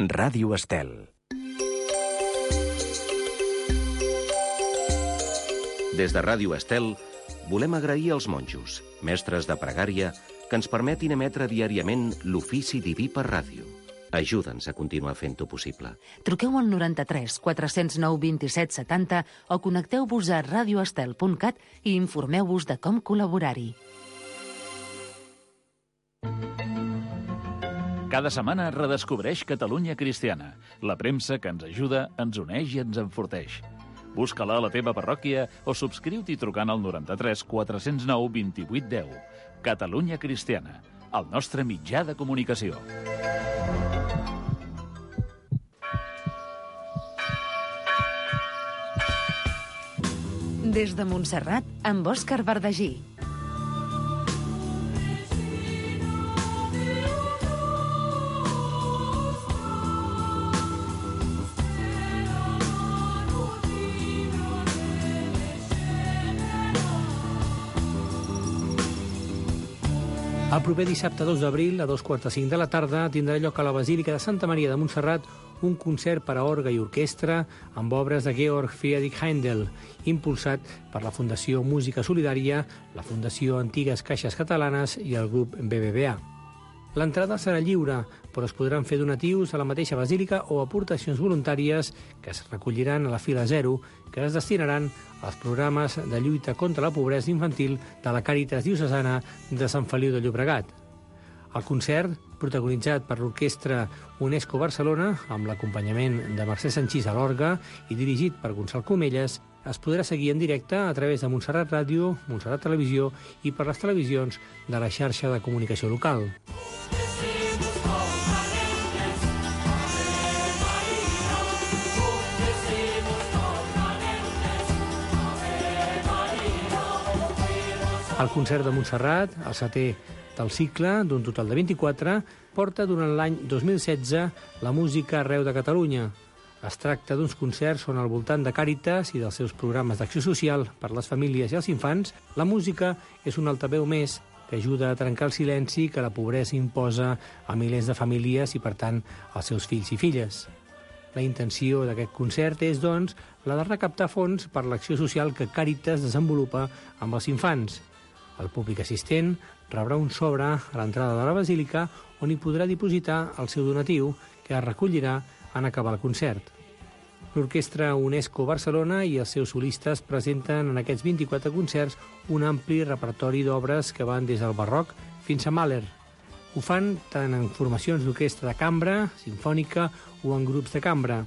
Ràdio Estel. Des de Ràdio Estel volem agrair als monjos, mestres de pregària, que ens permetin emetre diàriament l'ofici diví per ràdio. Ajuda'ns a continuar fent-ho possible. Truqueu al 93 409 27 70 o connecteu-vos a radioestel.cat i informeu-vos de com col·laborar-hi. Cada setmana redescobreix Catalunya Cristiana, la premsa que ens ajuda, ens uneix i ens enforteix. Busca-la a la teva parròquia o subscriu-t'hi trucant al 93 409 28 10. Catalunya Cristiana, el nostre mitjà de comunicació. Des de Montserrat, amb Òscar Bardagí. El proper dissabte 2 d'abril, a 2:45 de la tarda, tindrà lloc a la Basílica de Santa Maria de Montserrat un concert per a orgue i orquestra amb obres de Georg Friedrich Händel, impulsat per la Fundació Música Solidària, la Fundació Antigues Caixes Catalanes i el grup BBVA. L'entrada serà lliure, però es podran fer donatius a la mateixa basílica o aportacions voluntàries que es recolliran a la fila 0, que es destinaran als programes de lluita contra la pobresa infantil de la Càritas Diocesana de Sant Feliu de Llobregat. El concert, protagonitzat per l'orquestra UNESCO Barcelona, amb l'acompanyament de Mercè Sanchís a l'orgue i dirigit per Gonçal Comelles, es podrà seguir en directe a través de Montserrat Ràdio, Montserrat Televisió i per les televisions de la xarxa de comunicació local. El concert de Montserrat, el setè del cicle, d'un total de 24, porta durant l'any 2016 la música arreu de Catalunya. Es tracta d'uns concerts on al voltant de Càritas i dels seus programes d'acció social per les famílies i els infants, la música és un altaveu més que ajuda a trencar el silenci que la pobresa imposa a milers de famílies i, per tant, als seus fills i filles. La intenció d'aquest concert és, doncs, la de recaptar fons per l'acció social que Càritas desenvolupa amb els infants. El públic assistent rebrà un sobre a l'entrada de la basílica on hi podrà dipositar el seu donatiu, que es recollirà en acabar el concert. L'Orquestra UNESCO Barcelona i els seus solistes presenten en aquests 24 concerts un ampli repertori d'obres que van des del barroc fins a Mahler. Ho fan tant en formacions d'orquestra de cambra, sinfònica o en grups de cambra.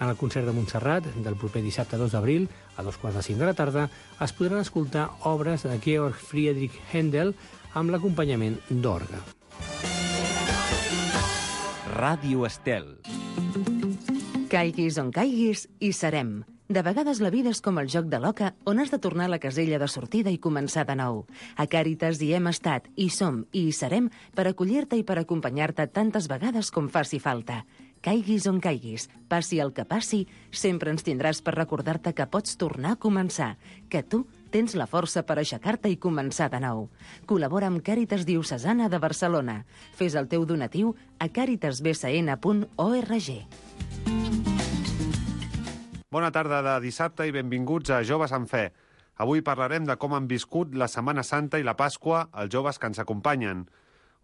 En el concert de Montserrat, del proper dissabte 2 d'abril, a 2:45 de la tarda, es podran escoltar obres de Georg Friedrich Händel amb l'acompanyament d'orgue. Ràdio Estel. Caiguis on caiguis, hi serem. De vegades la vida és com el joc de l'oca, on has de tornar a la casella de sortida i començar de nou. A Càritas hi hem estat, hi som i hi serem per acollir-te i per acompanyar-te tantes vegades com faci falta. Caiguis on caiguis, passi el que passi, sempre ens tindràs per recordar-te que pots tornar a començar, que tu tens la força per aixecar-te i començar de nou. Col·labora amb Càritas Diocesana de Barcelona. Fes el teu donatiu a caritasbcn.org. Bona tarda de dissabte i benvinguts a Joves en Fe. Avui parlarem de com han viscut la Setmana Santa i la Pasqua els joves que ens acompanyen.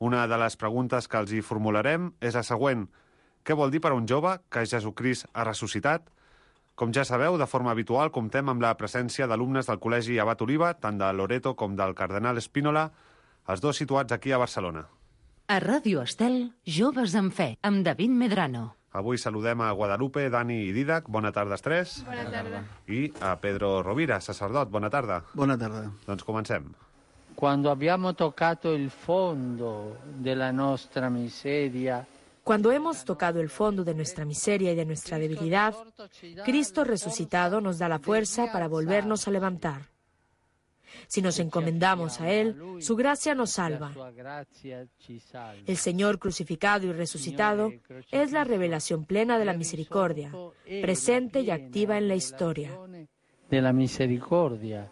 Una de les preguntes que els hi formularem és la següent. Què vol dir per a un jove que Jesucrist ha ressuscitat? Com ja sabeu, de forma habitual comptem amb la presència d'alumnes del Col·legi Abat Oliva, tant de Loreto com del Cardenal Espínola, els dos situats aquí a Barcelona. A Ràdio Estel, Joves en Fe, amb David Medrano. Avui saludem a Guadalupe, Dani i Didac. Bona tarda, els tres. Bona tarda. I a Pedro Rovira, sacerdot. Bona tarda. Bona tarda. Doncs comencem. Cuando hemos tocado el fondo de nuestra miseria y de nuestra debilidad, Cristo resucitado nos da la fuerza para volvernos a levantar. Si nos encomendamos a Él, su gracia nos salva. El Señor crucificado y resucitado es la revelación plena de la misericordia, presente y activa en la historia. De la misericordia,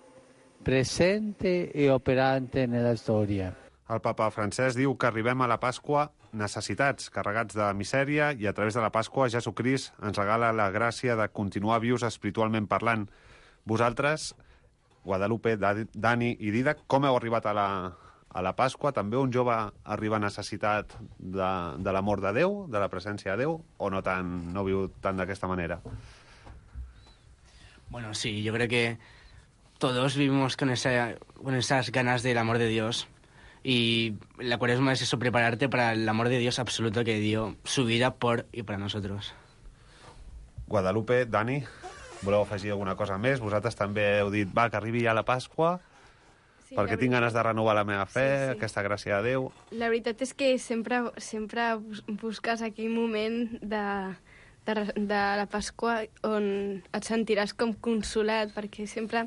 presente y operante en la historia. El papa Francesc diu que arribem a la Pasqua necessitats, carregats de misèria, i a través de la Pasqua Jesucrist ens regala la gràcia de continuar vius espiritualment parlant. Vosaltres, Guadalupe, Dani i Didac, com heu arribat a la Pasqua? També un jove arriba necessitat de l'amor de Déu, de la presència de Déu, o no viu tant d'aquesta manera? Bueno, sí, yo creo que todos vivimos con esas ganas del amor de Dios, y la Cuaresma es eso, prepararte para el amor de Dios absoluto que dio su vida por y para nosotros. Guadalupe, Dani, voleu afegir alguna cosa més? Vosaltres també heu dit, que arribi ja la Pasqua, perquè tinc ganes de renovar la meva fe, aquesta gràcia de Déu. La veritat és que sempre busques aquell moment de la Pasqua on et sentiràs com consolat, perquè sempre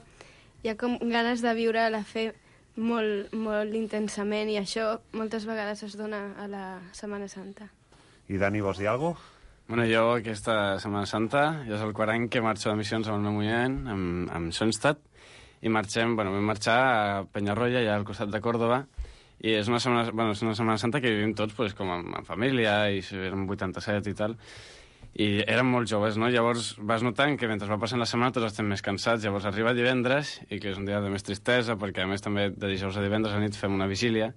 hi ha com ganes de viure la fe molt, molt intensament, i això moltes vegades es dona a la Setmana Santa. I Dani, vols dir alguna cosa? Bueno, jo aquesta Setmana Santa ja és el quart any que marxo de missions amb el meu moviment, amb Schoenstatt, i vam marxar a Penyarroia, allà al costat de Còrdova, i és una Setmana Santa que vivim tots pues, com en família, i érem 87 i tal, i érem molt joves, no? Llavors vas notant que mentre va passant la setmana tots estem més cansats. Llavors arriba divendres, i que és un dia de més tristesa, perquè a més també de dijous a divendres a nit fem una vigília,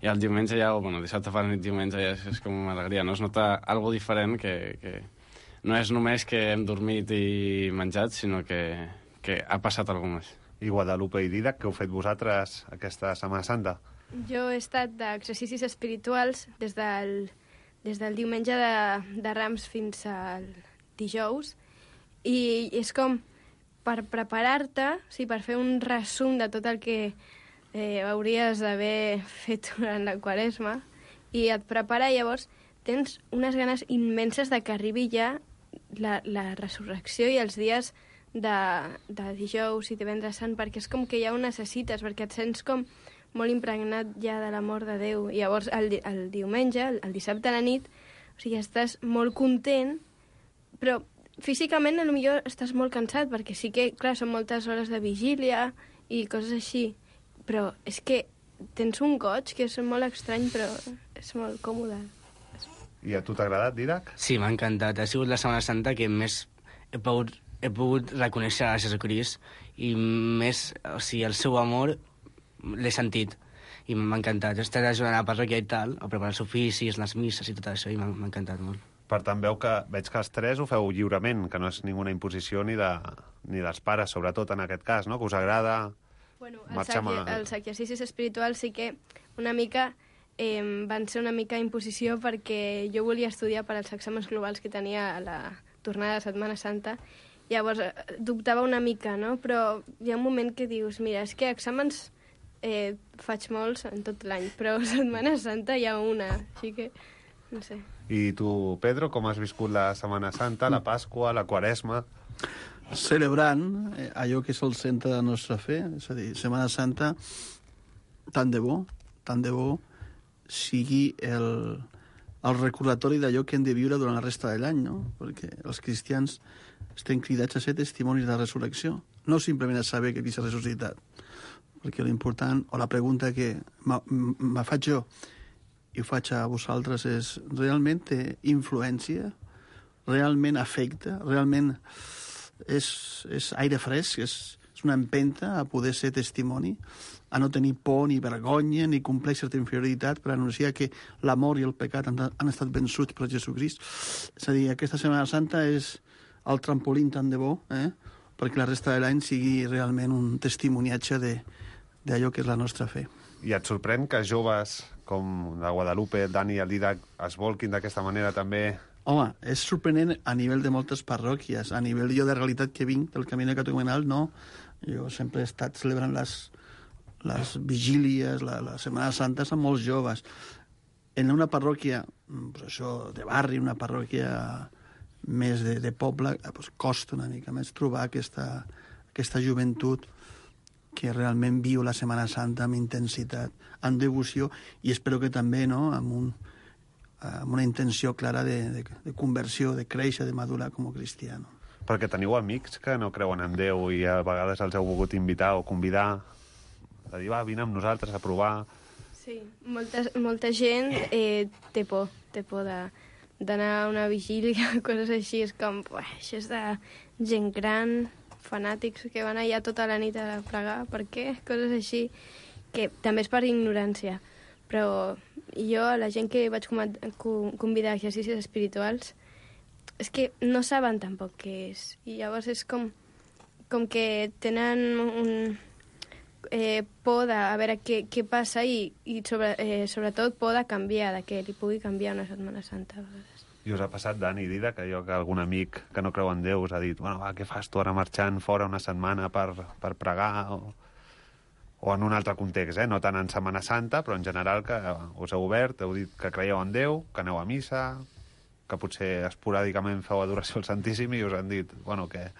i el diumenge ja, dissabte a la nit, diumenge ja és com una alegria, no? Es nota algo diferent, que no és només que hem dormit i menjat, sinó que ha passat alguna més. I Guadalupe i Didac, què heu fet vosaltres aquesta Setmana Santa? Jo he estat d'exercicis espirituals des del diumenge de Rams fins al dijous, i és com per preparar-te, per fer un resum de tot el que hauries d'haver fet durant la Quaresma, i et prepara. Llavors tens unes ganes immenses de que arribi ja la resurrecció i els dies de dijous i divendres sant, perquè és com que ja ho necessites, perquè et sents com molt impregnat ja de l'amor de Déu. I llavors el diumenge, el dissabte a la nit, estàs molt content, però físicament potser estàs molt cansat, perquè sí que, clar, són moltes hores de vigília i coses així, però és que tens un goig que és molt estrany, però és molt còmode. I a tu t'ha agradat, Didac? Sí, m'ha encantat. Ha sigut la Setmana Santa que més he pogut reconèixer a Jesucrist, i més, el seu amor l'he sentit, i m'ha encantat. He estat ajudant a la parròquia i tal, a preparar els oficis, les misses i tot això, i m'ha encantat molt. Per tant, veig que els tres ho feu lliurement, que no és ninguna imposició ni dels pares, sobretot en aquest cas, no? Que us agrada marxar amb... Els exercicis espirituals sí que una mica van ser una mica imposició, perquè jo volia estudiar per als exàmens globals que tenia a la tornada de Setmana Santa. Llavors dubtava una mica, no? Però hi ha un moment que dius, mira, és que exàmens faig molts en tot l'any, però Setmana Santa hi ha una, així que no sé. I tu, Pedro, com has viscut la Setmana Santa, la Pasqua, la Quaresma? Celebrant allò que és el centre de la nostra fe, és a dir, Setmana Santa, tant de bo sigui el recordatori d'allò que hem de viure durant la resta de l'any, no? Perquè els cristians estem cridats a ser testimonis de la resurrecció, no simplement a saber que Crist ha ressuscitat, perquè l'important, o la pregunta que me faig jo i ho faig a vosaltres, és realment té influència, realment afecta, realment és aire fresc, és una empenta a poder ser testimoni, a no tenir por ni vergonya ni complex d'inferioritat per anunciar que l'amor i el pecat han estat vençuts per Jesucrist. És a dir, aquesta Setmana Santa és el trampolín tant de bo, perquè la resta de l'any sigui realment un testimoniatge d'allò que és la nostra fe. I et sorprèn que joves com de Guadalupe, Dani i el Didac es volquin d'aquesta manera també? Home, és sorprenent a nivell de moltes parròquies, a nivell jo de realitat que vinc del Camí Catecumenal, no. Jo sempre he estat celebrant les vigílies, la Setmana Santa amb molts joves. En una parròquia, pues això, de barri, una parròquia més de poble, pues costa una mica més trobar aquesta joventut que realment viu la Setmana Santa amb intensitat, amb devoció, i espero que també, no?, amb una intenció clara de conversió, de créixer, de madurar com a cristiano. Perquè teniu amics que no creuen en Déu i a vegades els heu volgut invitar o convidar, de dir, vine amb nosaltres a provar. Sí, molta gent té por d'anar a una vigília, coses així. És com, això és de gent gran, fanàtics que van allà tota la nit a pregar. Per què? Coses així, que també és per ignorància. Però jo, a la gent que vaig convidar a exercicis espirituals, és que no saben tampoc què és. I llavors és com que tenen por de a veure què passa i sobretot por de canviar, de que li pugui canviar una Setmana Santa a vegades. I us ha passat, Dani, Dida, que algun amic que no creu en Déu us ha dit què fas tu ara marxant fora una setmana per pregar o en un altre context, no tant en Setmana Santa, però en general que us heu obert, heu dit que creieu en Déu, que aneu a missa, que potser esporàdicament feu adoració al Santíssim i us han dit, que...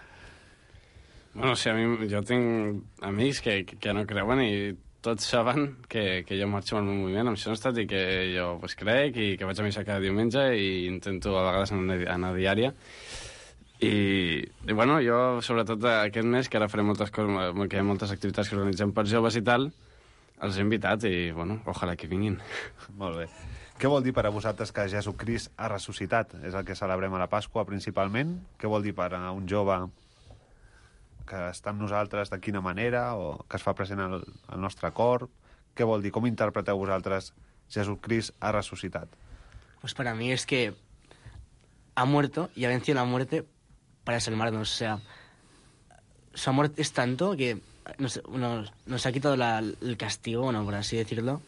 Bueno, sí, jo tinc amics que no creuen i tots saben que jo marxo amb el meu moviment, amb Schoenstatt, i que jo crec i que vaig a missa cada diumenge i intento a vegades anar diària. I bueno, jo, sobretot aquest mes, que ara faré moltes coses, que hi ha moltes activitats que organitzem per joves i tal, els he invitat i, ojalà que vinguin. Molt bé. Què vol dir per a vosaltres que Jesucrist ha ressuscitat? És el que celebrem a la Pasqua, principalment. Què vol dir per a un jove que està amb nosaltres, de quina manera, o que es fa present al nostre cor? Què vol dir? Com interpreteu vosaltres Jesucrist ha resucitat? Pues para mí es que ha muerto y ha vencido la muerte para salvarnos. O sea, su amor es tanto que nos ha quitado el castigo, por así decirlo,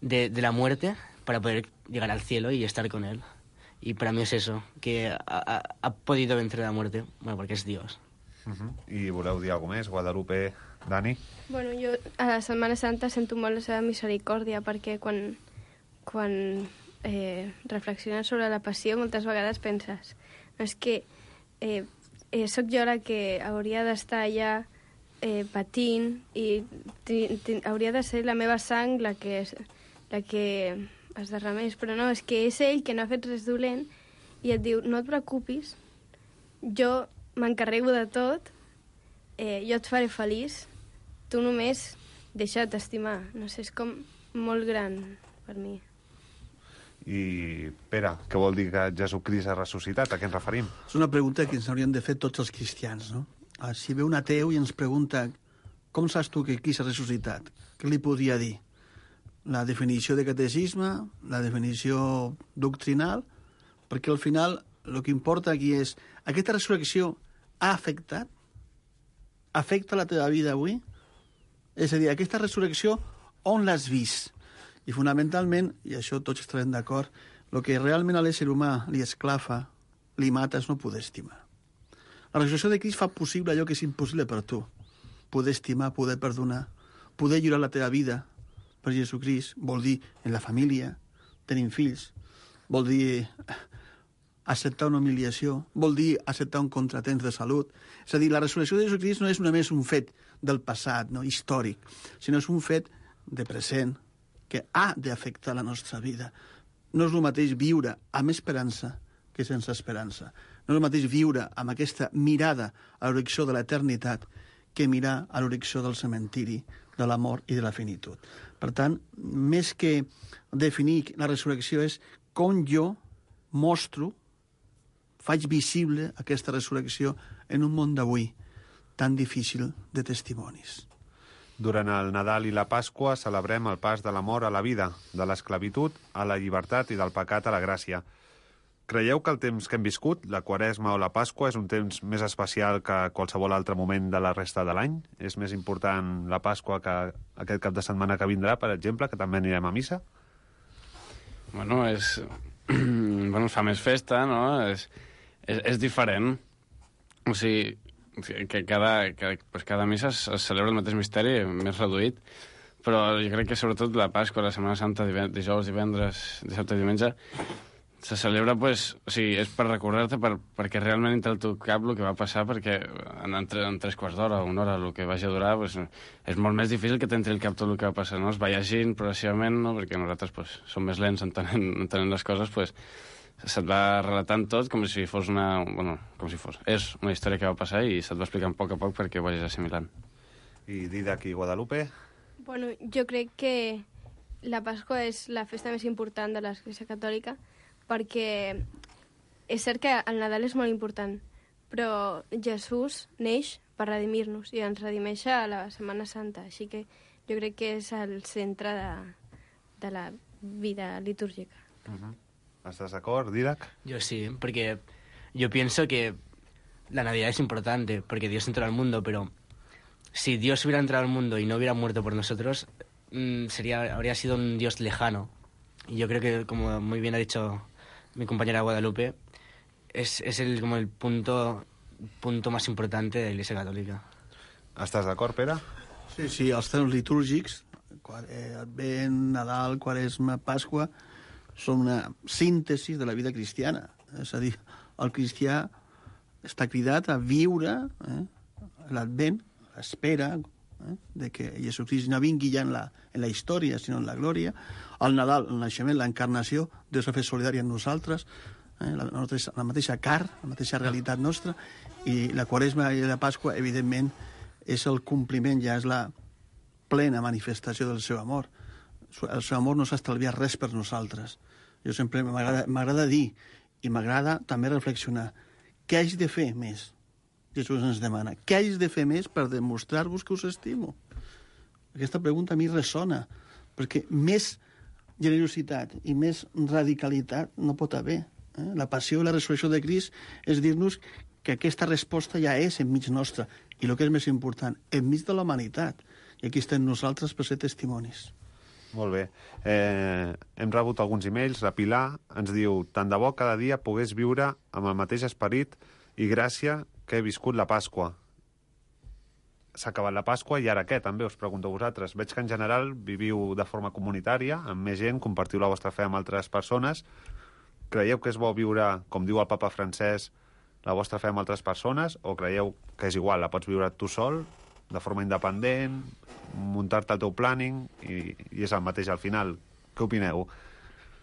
de la muerte para poder llegar al cielo y estar con él. Y para mí es eso, que ha podido vencer la muerte, porque es Dios. I voleu dir alguna més, Guadalupe, Dani? Bueno, jo a la Setmana Santa sento molt la seva misericòrdia, perquè quan reflexiones sobre la passió moltes vegades penses és que sóc jo la que hauria d'estar allà patint i hauria de ser la meva sang la que es derramés, però no, és que és ell que no ha fet res dolent i et diu, no et preocupis, jo m'encarrego de tot, jo et faré feliç, tu només deixa't estimar. No sé, és com molt gran per mi. I, Pere, què vol dir que Jesucrist ha ressuscitat? A què ens referim? És una pregunta que ens haurien de fer tots els cristians, no? Si ve un ateu i ens pregunta com saps tu que Crist ha ressuscitat? Què li podria dir? La definició de catecisme, la definició doctrinal, perquè al final el que importa aquí és aquesta resurrecció ha afectat? Afecta la teva vida avui? És a dir, aquesta resurrecció on l'has vist? I fonamentalment, i això tots estarem d'acord, el que realment a l'ésser humà li esclafa, li mata, és no poder estimar. La resurrecció de Crist fa possible allò que és impossible per tu. Poder estimar, poder perdonar, poder lliurar la teva vida per Jesucrist, vol dir en la família, tenim fills, vol dir acceptar una humiliació, vol dir acceptar un contratemps de salut. És a dir, la resurrecció de Jesucrist no és només un fet del passat, històric, sinó és un fet de present que ha d'afectar la nostra vida. No és el mateix viure amb esperança que sense esperança. No és el mateix viure amb aquesta mirada a l'horitzó de l'eternitat que mirar a l'horitzó del cementiri, de la mort i de la finitud. Per tant, més que definir la resurrecció és com jo mostro, faig visible aquesta resurrecció en un món d'avui tan difícil de testimonis. Durant el Nadal i la Pasqua celebrem el pas de la mort a la vida, de l'esclavitud a la llibertat i del pecat a la gràcia. Creieu que el temps que hem viscut, la Quaresma o la Pasqua, és un temps més especial que qualsevol altre moment de la resta de l'any? És més important la Pasqua que aquest cap de setmana que vindrà, per exemple, que també anirem a missa? Bueno, es fa més festa, no? És diferent. O sigui, que cada missa es celebra el mateix misteri, més reduït, però jo crec que sobretot la Pasqua, la Setmana Santa, dijous, divendres, dissabte i diumenge, se celebra, és per recordar-te, perquè realment entre el teu cap el que va passar, perquè en 3 quarts d'hora o una hora el que vagi a durar, és molt més difícil que t'entri el cap tot el que va passar, no? Es va llegint progressivament, no? Perquè nosaltres som més lents entenent les coses, se't va relatant tot com si fos és una història que va passar i se't va explicant a poc perquè ho vagis assimilant. I Didac i Guadalupe? Bueno, jo crec que la Pasqua és la festa més important de l'Església Catòlica, perquè és cert que el Nadal és molt important, però Jesús neix per redimir-nos i ens redimeix a la Setmana Santa, així que jo crec que és el centre de la vida litúrgica. ¿Estás d'acord, Didac? Yo sí, porque yo pienso que la Navidad es importante, porque Dios entró al mundo, pero si Dios hubiera entrado al mundo y no hubiera muerto por nosotros, habría sido un Dios lejano. Y yo creo que, como muy bien ha dicho mi compañera Guadalupe, es como el punto más importante de la Iglesia Catòlica. Estàs d'acord, Pere? Sí, els temps litúrgics, Advent, Nadal, Quaresma, Pasqua, són una síntesi de la vida cristiana. És a dir, el cristià està cridat a viure l'Advent, l'espera de que Jesucrist no vingui ja en la història, sinó en la glòria. El Nadal, el naixement, l'encarnació, Déu s'ha fet solidari amb nosaltres, la mateixa carn, la mateixa realitat nostra, i la Quaresma i la Pasqua, evidentment, és el compliment, ja és la plena manifestació del seu amor. El seu amor no s'ha estalviat res per nosaltres. Jo sempre m'agrada dir, i m'agrada també reflexionar, què haig de fer més? Jesús ens demana, què haig de fer més per demostrar-vos que us estimo? Aquesta pregunta a mi ressona, perquè més generositat i més radicalitat no pot haver. La passió i la resurrecció de Crist és dir-nos que aquesta resposta ja és enmig nostra, i el que és més important, enmig de la humanitat. I aquí estem nosaltres per ser testimonis. Molt bé. Hem rebut alguns e-mails. La Pilar ens diu: tant de bo cada dia pogués viure amb el mateix esperit i gràcia que he viscut la Pasqua. S'ha acabat la Pasqua i ara què? També us pregunto a vosaltres. Veig que en general viviu de forma comunitària, amb més gent, compartiu la vostra fe amb altres persones. Creieu que és bo viure, com diu el papa Francesc, la vostra fe amb altres persones, o creieu que és igual, la pots viure tu sol, de forma independent, muntar-te el teu planning i és el mateix al final? Què opineu?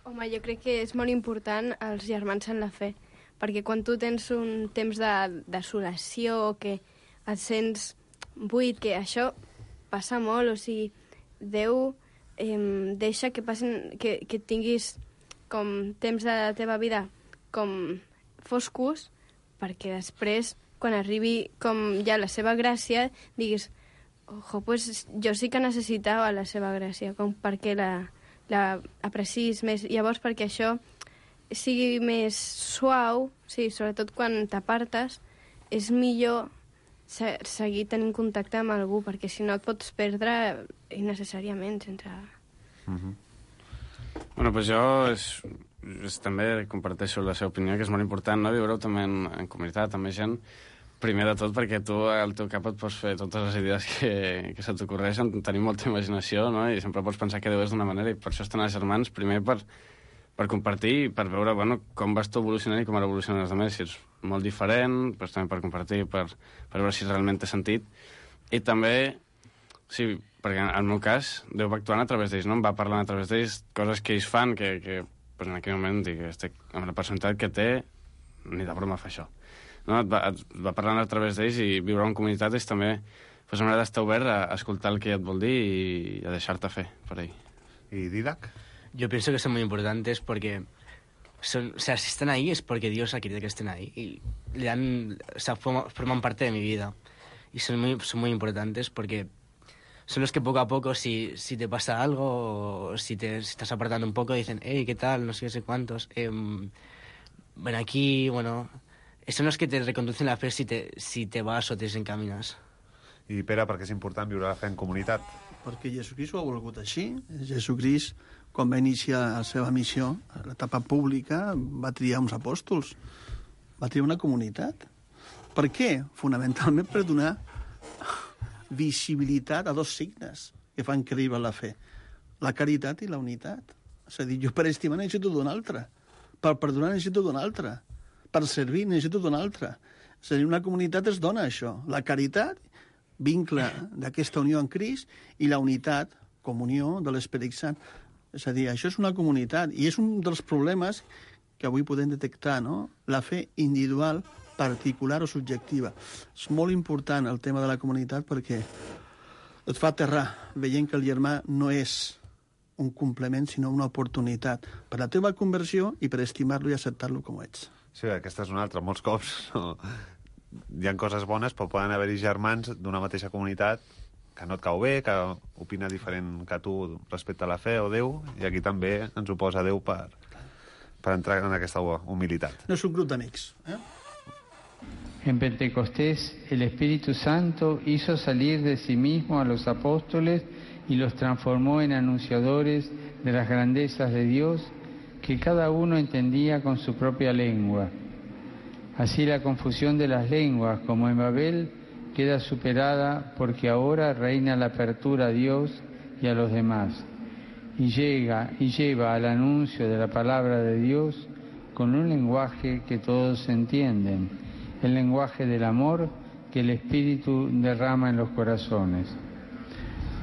Home, jo crec que és molt important els germans en la fe, perquè quan tu tens un temps de desolació, que et sents buit, que això passa molt, o sigui, Déu deixa que passin, que tinguis com temps de la teva vida com foscos, perquè després, quan arribi com ja la seva gràcia, diguis, ojo, pues jo sí que necessitava la seva gràcia, com perquè la aprecis més. Llavors, perquè això sigui més suau, sí, sobretot quan t'apartes, és millor seguir tenint contacte amb algú, perquè si no et pots perdre innecessàriament sense... Bueno, pues jo també comparteixo la seva opinió, que és molt important, no? Viure-ho també en comunitat, amb gent, primer de tot perquè tu al teu cap et pots fer totes les idees que se t'ocorreixen, tenir molta imaginació, no? I sempre pots pensar que Déu és d'una manera, i per això estan els germans, primer per compartir i per veure, bueno, com vas tu evolucionant i com ara evolucionen els altres, si ets molt diferent, doncs també per compartir, per veure si realment té sentit. I també, sí, perquè en el meu cas, Déu va actuant a través d'ells, no? Em va parlant a través d'ells coses que ells fan, que pues en aquell moment dic, estic amb la personalitat que té, ni de broma fa això. No? Et va parlant a través d'ells, i viure en comunitat és també pues, una manera d'estar obert a escoltar el que et vol dir y a dejarte fe por ahí. ¿Y Didac? Yo pienso que son muy importantes porque si están ahí es porque Dios ha querido que estén ahí y forman parte de mi vida. Y son muy importantes porque son los que poco a poco, si te pasa algo o si te estás apartando un poco, dicen, hey, ¿qué tal? No sé cuántos. Ven aquí, bueno... Son los que te reconducen la fe si te vas o te desencaminas. I Pere, per què és important viure la fe en comunitat? Perquè Jesucrist ho ha volgut així. Jesucrist, quan va iniciar la seva missió, a l'etapa pública, va triar uns apòstols, va triar una comunitat. Per què? Fonamentalment per donar visibilitat a dos signes que fan créixer la fe. La caritat i la unitat. És a dir, jo per estimar necessito d'un altre, per perdonar necessito d'un altre, per servir necessito d'un altre. És a dir, una comunitat es dona això. La caritat, vincle d'aquesta unió amb Crist, i la unitat, comunió de l'Esperit Sant. És a dir, això és una comunitat, i és un dels problemes que avui podem detectar, no? La fe individual, particular o subjectiva. És molt important el tema de la comunitat perquè et fa aterrar veient que el germà no és un complement, sinó una oportunitat per la teva conversió i per estimar-lo i acceptar-lo com ets. Sí, aquesta és una altra. Molts cops hi ha coses bones, però poden haver-hi germans d'una mateixa comunitat que no et cau bé, que opina diferent que tu respecte a la fe o Déu, i aquí també ens ho posa Déu per entrar en aquesta humilitat. No és un grup d'amics. En Pentecostés, el Espíritu Santo hizo salir de sí mismo a los apóstoles y los transformó en anunciadores de las grandezas de Dios que cada uno entendía con su propia lengua. Así la confusión de las lenguas, como en Babel, queda superada porque ahora reina la apertura a Dios y a los demás, y lleva al anuncio de la palabra de Dios con un lenguaje que todos entienden, el lenguaje del amor que el Espíritu derrama en los corazones.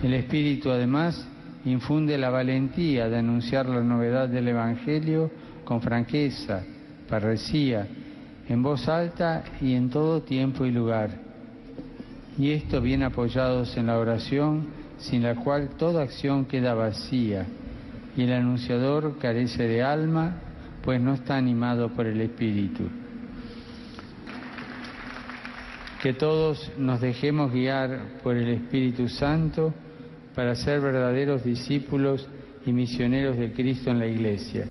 El Espíritu, además, infunde la valentía de anunciar la novedad del Evangelio con franqueza, parresía, en voz alta y en todo tiempo y lugar. Y esto bien apoyados en la oración, sin la cual toda acción queda vacía, y el anunciador carece de alma, pues no está animado por el Espíritu. Que todos nos dejemos guiar por el Espíritu Santo para ser verdaderos discípulos y misioneros de Cristo en la Iglesia.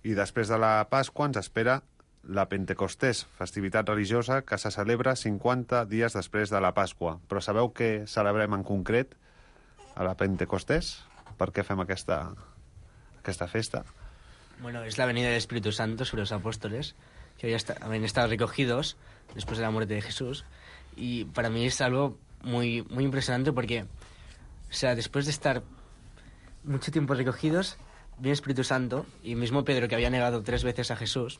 I després de la Pasqua ens espera la Pentecostés, festivitat religiosa que se celebra 50 dies després de la Pasqua. Però sabeu què celebrem en concret a la Pentecostés? Per què fem aquesta festa? Bueno, es la venida del Espíritu Santo sobre los apóstoles, que habían estado recogidos después de la muerte de Jesús. Y para mí es algo muy, muy impresionante porque, o sea, después de estar mucho tiempo recogidos, viene el Espíritu Santo, y mismo Pedro, que había negado 3 veces a Jesús,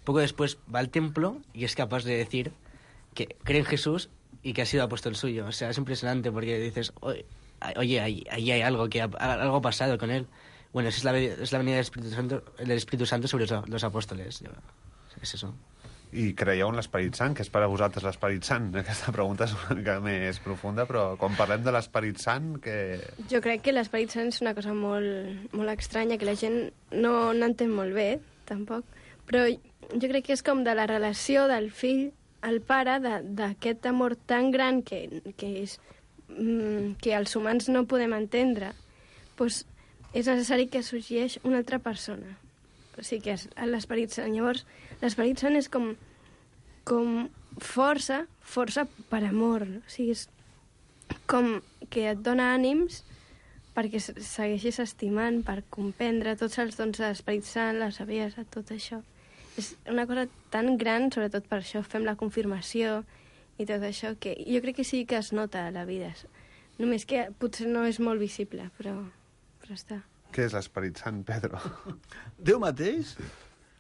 poco después va al templo y es capaz de decir que cree en Jesús y que ha sido apóstol suyo. O sea, es impresionante porque dices, oye, ahí hay algo, algo ha pasado con él. Bueno, esa es la venida del Espíritu Santo sobre los apóstoles. És això. I creieu en l'Esperit Sant? Què és per a vosaltres l'Esperit Sant? Aquesta pregunta és una mica més profunda, però quan parlem de l'Esperit Sant, que... Jo crec que l'Esperit Sant és una cosa molt, molt estranya, que la gent no entén molt bé, tampoc, però jo crec que és com de la relació del fill al pare, d'aquest amor tan gran que els humans no podem entendre, doncs és necessari que sorgeix una altra persona. O sigui que és l'Esperit Sant. Llavors, l'Esperit Sant és com força per amor. O sigui, és com que et dona ànims perquè segueixis estimant, per comprendre tots els dons de l'Esperit Sant, la saviesa, tot això. És una cosa tan gran, sobretot per això fem la confirmació i tot això, que jo crec que sí que es nota a la vida. Només que potser no és molt visible, però està. Què és l'Esperit Sant, Pedro? Déu mateix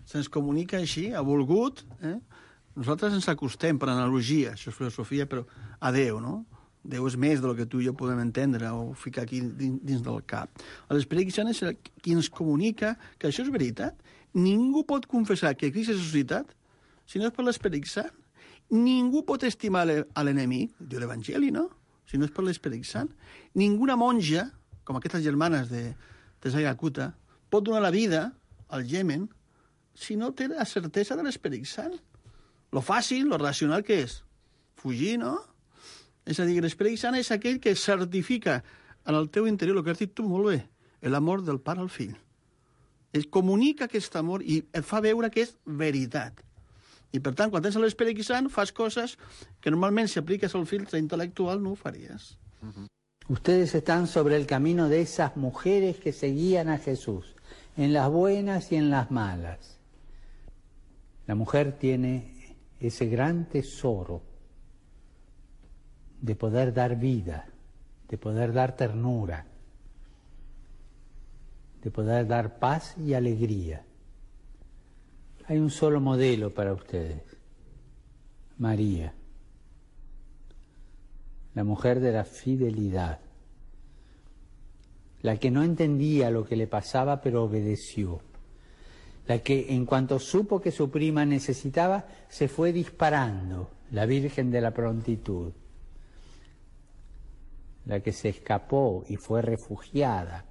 se'ns comunica així, ha volgut. Nosaltres ens acostem per analogia, això és filosofia, però a Déu, no? Déu és més del que tu i jo podem entendre o ficar aquí dins del cap. L'Esperit Sant és qui ens comunica que això és veritat. Ningú pot confessar que Crist és ressuscitat si no és per l'Esperit Sant. Ningú pot estimar a l'enemic, diu l'Evangeli, no? Si no és per l'Esperit Sant. Ninguna monja, com aquestes germanes de Calcuta, pot donar la vida al Iemen si no té la certesa de l'Esperit Sant. Lo fàcil, lo racional, què és? Fugir, no? És a dir, l'Esperit Sant és aquell que certifica en el teu interior, el que has dit tu molt bé, l'amor del pare al fill. Es comunica aquest amor i et fa veure que és veritat. I, per tant, quan tens l'Esperit Sant, fas coses que normalment, si apliques al filtre intel·lectual, no ho faries. Ustedes están sobre el camino de esas mujeres que seguían a Jesús, en las buenas y en las malas. La mujer tiene ese gran tesoro de poder dar vida, de poder dar ternura, de poder dar paz y alegría. Hay un solo modelo para ustedes, María, la mujer de la fidelidad, la que no entendía lo que le pasaba pero obedeció, la que en cuanto supo que su prima necesitaba se fue disparando, la Virgen de la Prontitud, la que se escapó y fue refugiada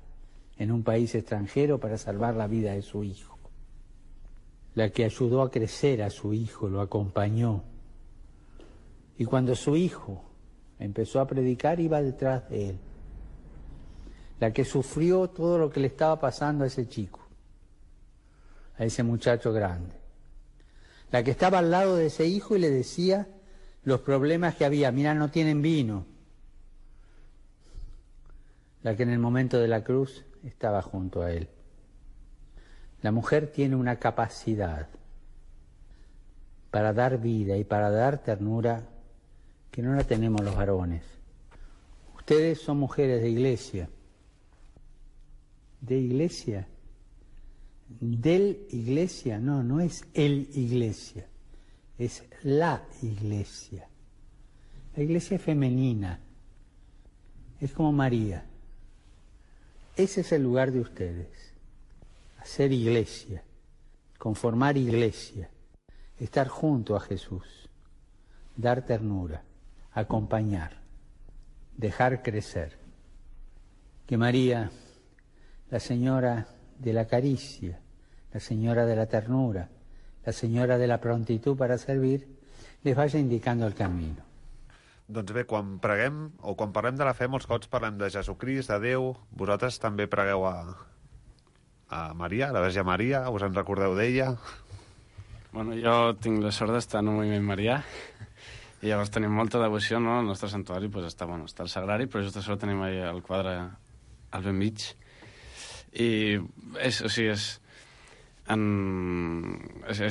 en un país extranjero para salvar la vida de su hijo, la que ayudó a crecer a su hijo, lo acompañó, y cuando su hijo empezó a predicar iba detrás de él, la que sufrió todo lo que le estaba pasando a ese chico, a ese muchacho grande, la que estaba al lado de ese hijo y le decía los problemas que había. Mira, no tienen vino. La que en el momento de la cruz estaba junto a él. La mujer tiene una capacidad para dar vida y para dar ternura que no la tenemos los varones. Ustedes son mujeres de iglesia. ¿De iglesia? ¿Del iglesia? No, no es el iglesia, es la iglesia. La iglesia es femenina, es como María. Ese es el lugar de ustedes, hacer iglesia, conformar iglesia, estar junto a Jesús, dar ternura, acompañar, dejar crecer. Que María, la señora de la caricia, la señora de la ternura, la senyora de la prontitud para servir, les vaya indicando el camino. Doncs bé, quan preguem, o quan parlem de la fe, molts cops parlem de Jesucrist, de Déu. Vosaltres també pregueu a Maria, a la Verge Maria, us en recordeu d'ella? Bueno, jo tinc la sort d'estar en un moviment marià, i llavors tenim molta devoció, no? El nostre santuari pues, està el sagrari, però just a sobre tenim el quadre al ben mig. I és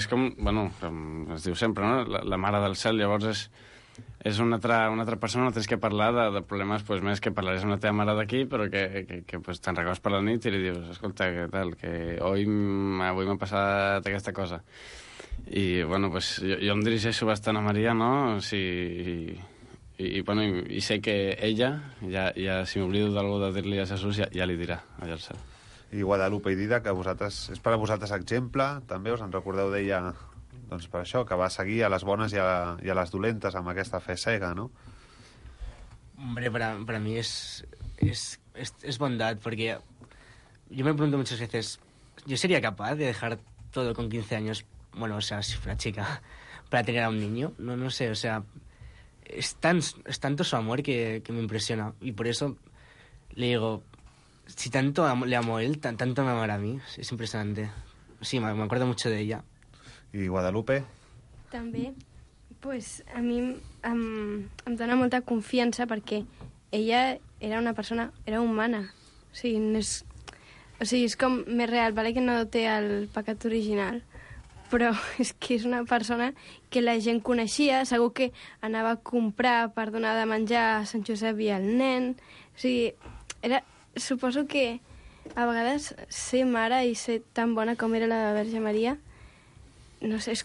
com, bueno, com es diu sempre, no? La mare del cel, llavors és una altra persona, no tens que parlar de problemes pues, més que parlaries amb la teva mare d'aquí, però que pues, te'n recordes per la nit i li dius, escolta, què tal, que avui m'ha passat aquesta cosa. I, bueno, pues, jo em dirigeixo bastant a Maria, no? I sé que ella, ja si m'oblido d'algú de dir-li a Jesús, ja li dirà allà al cel. I Guadalupe i Didac, que és per a vosaltres exemple, també us en recordeu d'ella, doncs per això, que va seguir a les bones i a les dolentes amb aquesta fe cega, ¿no? Hombre, para mí es bondad, porque yo me pregunto muchas veces, ¿yo sería capaz de dejar todo con 15 años, bueno, o sea, si fuera chica, para tener a un niño? No sé, o sea, es tanto su amor que me impresiona, y por eso le digo, si tanto le amo a él, tanto me amará a mí, es impresionante. Sí, me acuerdo mucho de ella. I Guadalupe? També, pues, a mi em dona molta confiança perquè ella era una persona, era humana. O sigui, és com més real, vale que no té el pecat original, però és que és una persona que la gent coneixia, segur que anava a comprar per donar de menjar a Sant Josep i al nen. O sigui, suposo que a vegades ser mare i ser tan bona com era la Verge Maria, no sé,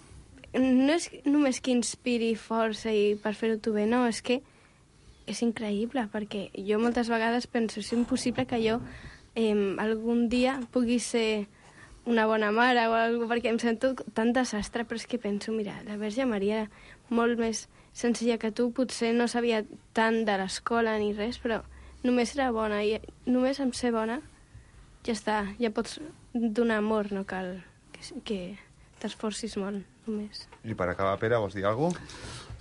no és només que inspiri força i per fer-ho tu bé, no, és que és increïble, perquè jo moltes vegades penso, és impossible que jo algun dia pugui ser una bona mare o alguna cosa, perquè em sento tan desastre, però és que penso, mira, la Verge Maria era molt més senzilla que tu, potser no sabia tant de l'escola ni res, però només era bona, i només amb ser bona ja està, ja pots donar amor, no cal que t'esforcis molt, només. I per acabar, Pere, vols dir alguna cosa?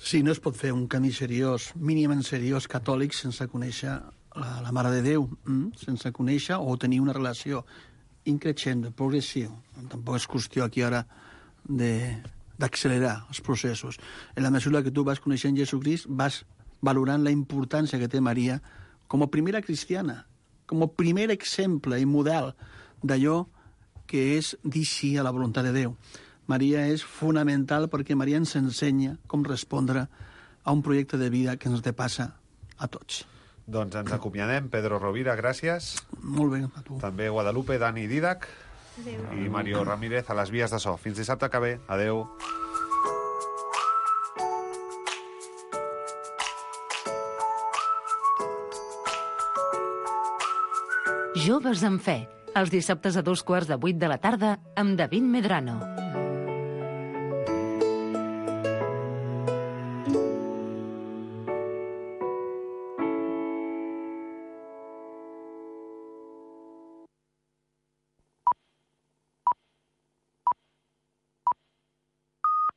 Sí, no es pot fer un camí seriós, mínimament seriós, catòlic, sense conèixer la Mare de Déu, sense conèixer o tenir una relació increixent, progressiu. Tampoc és qüestió aquí ara d'accelerar els processos. En la mesura que tu vas coneixent Jesucrist, vas valorant la importància que té Maria com a primera cristiana, com a primer exemple i model d'allò que és dir sí a la voluntat de Déu. Maria és fonamental perquè Maria ens ensenya com respondre a un projecte de vida que ens depassa a tots. Doncs ens acomiadem. Pedro Rovira, gràcies. Molt bé, a tu. També Guadalupe, Dani Didac. Adéu. I Mario Ramírez a les vies de so. Fins dissabte que ve. Adéu. Joves en Fe, els dissabtes a 2:15 de la tarda amb David Medrano.